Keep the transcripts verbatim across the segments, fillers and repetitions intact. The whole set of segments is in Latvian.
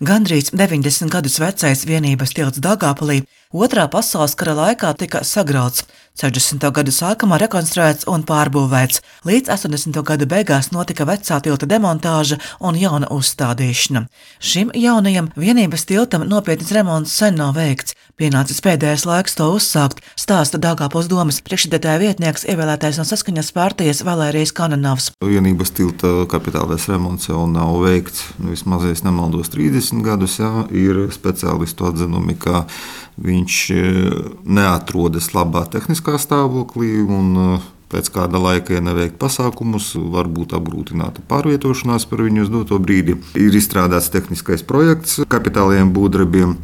Gandrīz deviņdesmit gadus vecais vienības tilts Daugavpilī Otrā pasaules kara laikā tika sagrauts, sešdesmito gadu sākumā rekonstruēts un pārbūvēts, līdz astoņdesmito gadu beigās notika vecā tilta demontāža un jauna uzstādīšana. Šim jaunajam vienības tiltam nopietns remonts sen nav veikts, pienācis pēdējais laiks to uzsākt, stāsta Daugavpils domes priekšsēdētāja vietnieks ievēlētais no Saskaņas partijas Valērijas Kananovs. Vienības tilta kapitālais remonts jau nav veikts, vismaz, ja es nemaldos, trīsdesmit gadus, jā, ir speciālistu atzinumi, ka viņš neatrodas labā tehniskā stāvoklī un pēc kāda laika, ja neveikt pasākumus, var būt apgrūtināta pārvietošanās par viņu uz doto brīdi. Ir izstrādāts tehniskais projekts kapitālajiem būvdarbiem.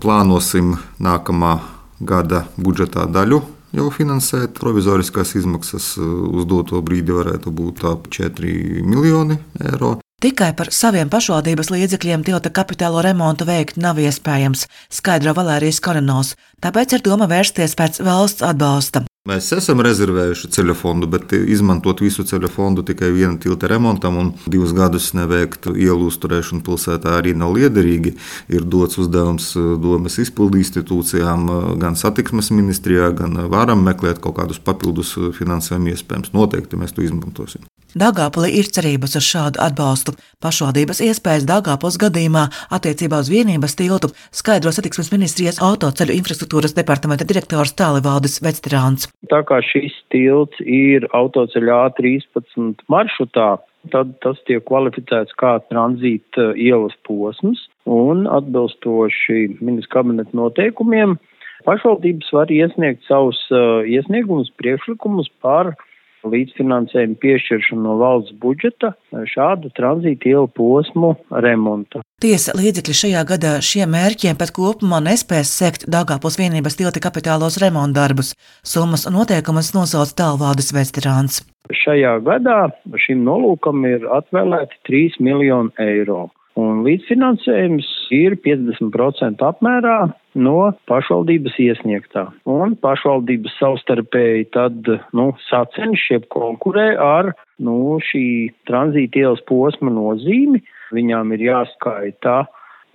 Plānosim nākamā gada budžetā daļu jau finansēt. Provizoriskās izmaksas uz doto brīdi varētu būt ap četri miljoni eiro. Tikai par saviem pašvaldības līdzekļiem tilta kapitālo remontu veikt nav iespējams, skaidro Valērijas Kananovs, tāpēc ir doma vērsties pēc valsts atbalsta. Mēs esam rezervējuši ceļu fondu, bet izmantot visu ceļu fondu tikai viena tilta remontam un divus gadus neveikt ielu uzturēšanu pilsētā arī nav liederīgi. Ir dots uzdevums domes izpildu institūcijām, gan satiksmes ministrijā, gan varam meklēt kaut kādus papildus finansējumu iespējams. Noteikti mēs to izmantosim. Daugavpilī ir cerības uz šādu atbalstu. Pašvaldības iespējas Daugavpils gadījumā attiecībā uz vienības tiltu skaidro satiksmes ministrijas autoceļu infrastruktūras departamenta direktors Tālivaldis Vecterāns. Tā kā šis tilts ir autoceļa A trīspadsmit maršrutā, tad tas tiek kvalificēts kā tranzīta ielas posms un atbilstoši ministra kabineta noteikumiem pašvaldības var iesniegt savus iesniegumus, priekšlikumus par līdzfinansējumu piešķiršanu no valsts budžeta šādu tranzīta ielu posmu remonta. Tiesa, līdzekļi šajā gadā šiem mērķiem pat kopumā nespēs sekt Daugavpils vienības tilta kapitālos remontdarbus. Summas un noteikumus nosauc Tālivaldis Vecterāns. Šajā gadā šim nolūkam ir atvēlēti trīs miljoni eiro. Un līdzfinansējums ir piecdesmit procenti apmērā no pašvaldības iesniegtā. Un pašvaldības savstarpēji tad, nu, sacenš, jeb konkurē ar, nu, šī tranzīta ielas posma nozīmi. Viņām ir jāskaita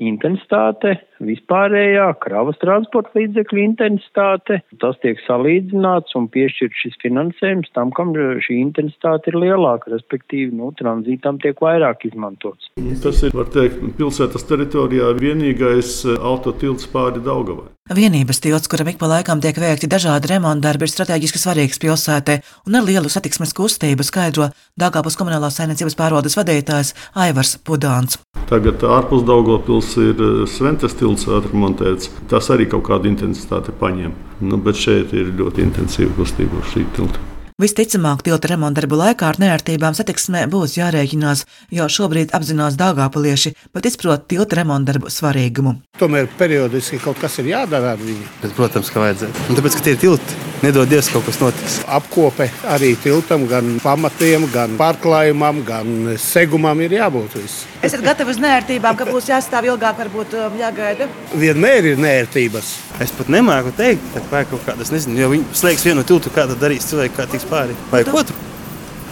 intensitāte, vispārējā kravas transporta līdzekļu intensitāte. Tas tiek salīdzināts un piešķirt šis finansējums tam, kam šī intensitāte ir lielāka, respektīvi, nu, tranzītam tiek vairāk izmantots. Tas ir, var teikt, pilsētas teritorijā vienīgais autotilts pāri Daugavai. Vienības tilts, kuram ik pa laikam tiek veikti dažādi remontdarbi, ir strateģiski svarīgs pilsētē un ar lielu satiksmes kustību, skaidro Daugavpils komunālās saimniecības pārvaldes vadītājs Aivars Pudāns. Tagad ārpus Daugavpils ir Sventes tilts atremontēts. Tas arī kaut kādu intensitāti paņem. Nu, bet šeit ir ļoti intensīva kustība uz šī tilta. Visticamāk, tilta remontdarbu laikā ar neērtībām satiksmē būs jārēķinās, jo šobrīd apzinās daugavpilieši, bet izprot tilta remontdarbu svarīgumu. Tomēr periodiski kaut kas ir jādara ar viņu. Bet, protams, ka vajadzētu. Un tāpēc, ka tie ir tilti, nedod Dievs, kaut kas notiks. Apkope arī tiltam, gan pamatiem, gan pārklājumam, gan segumam ir jābūt viss. Esat gatavi uz neērtībām, ka būs jāstāv ilgāk, varbūt jāgaida? Vienmēr ir neērtības. Es pat nemāku teikt, ka vai kaut kādas, nezinu, jo viņi slēgs vienu tiltu, kā tad darīs cilvēki, kā tiks pāri. Vai otru?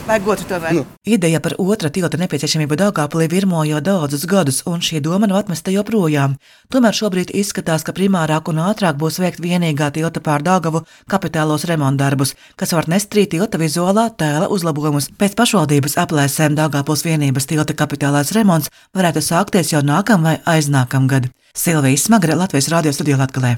Vai otru tomēr? Nu. Ideja par otra tilta nepieciešamību Daugavpilī virmo jau daudzus gadus, un šī doma nav atmesta joprojām. Tomēr šobrīd izskatās, ka primārāk un ātrāk būs veikt vienīgā tilta pār Daugavu kapitālos remontdarbus, kas var nest trī tilta vizuālā tēla uzlabojumus. Pēc pašvaldības aplēsēm Daugavpils vienības tilta kapitālais remonts varētu sākties jau nākam vai aiznākam gadu. Silvija Smagre, Latvijas radio studijā Latgalē.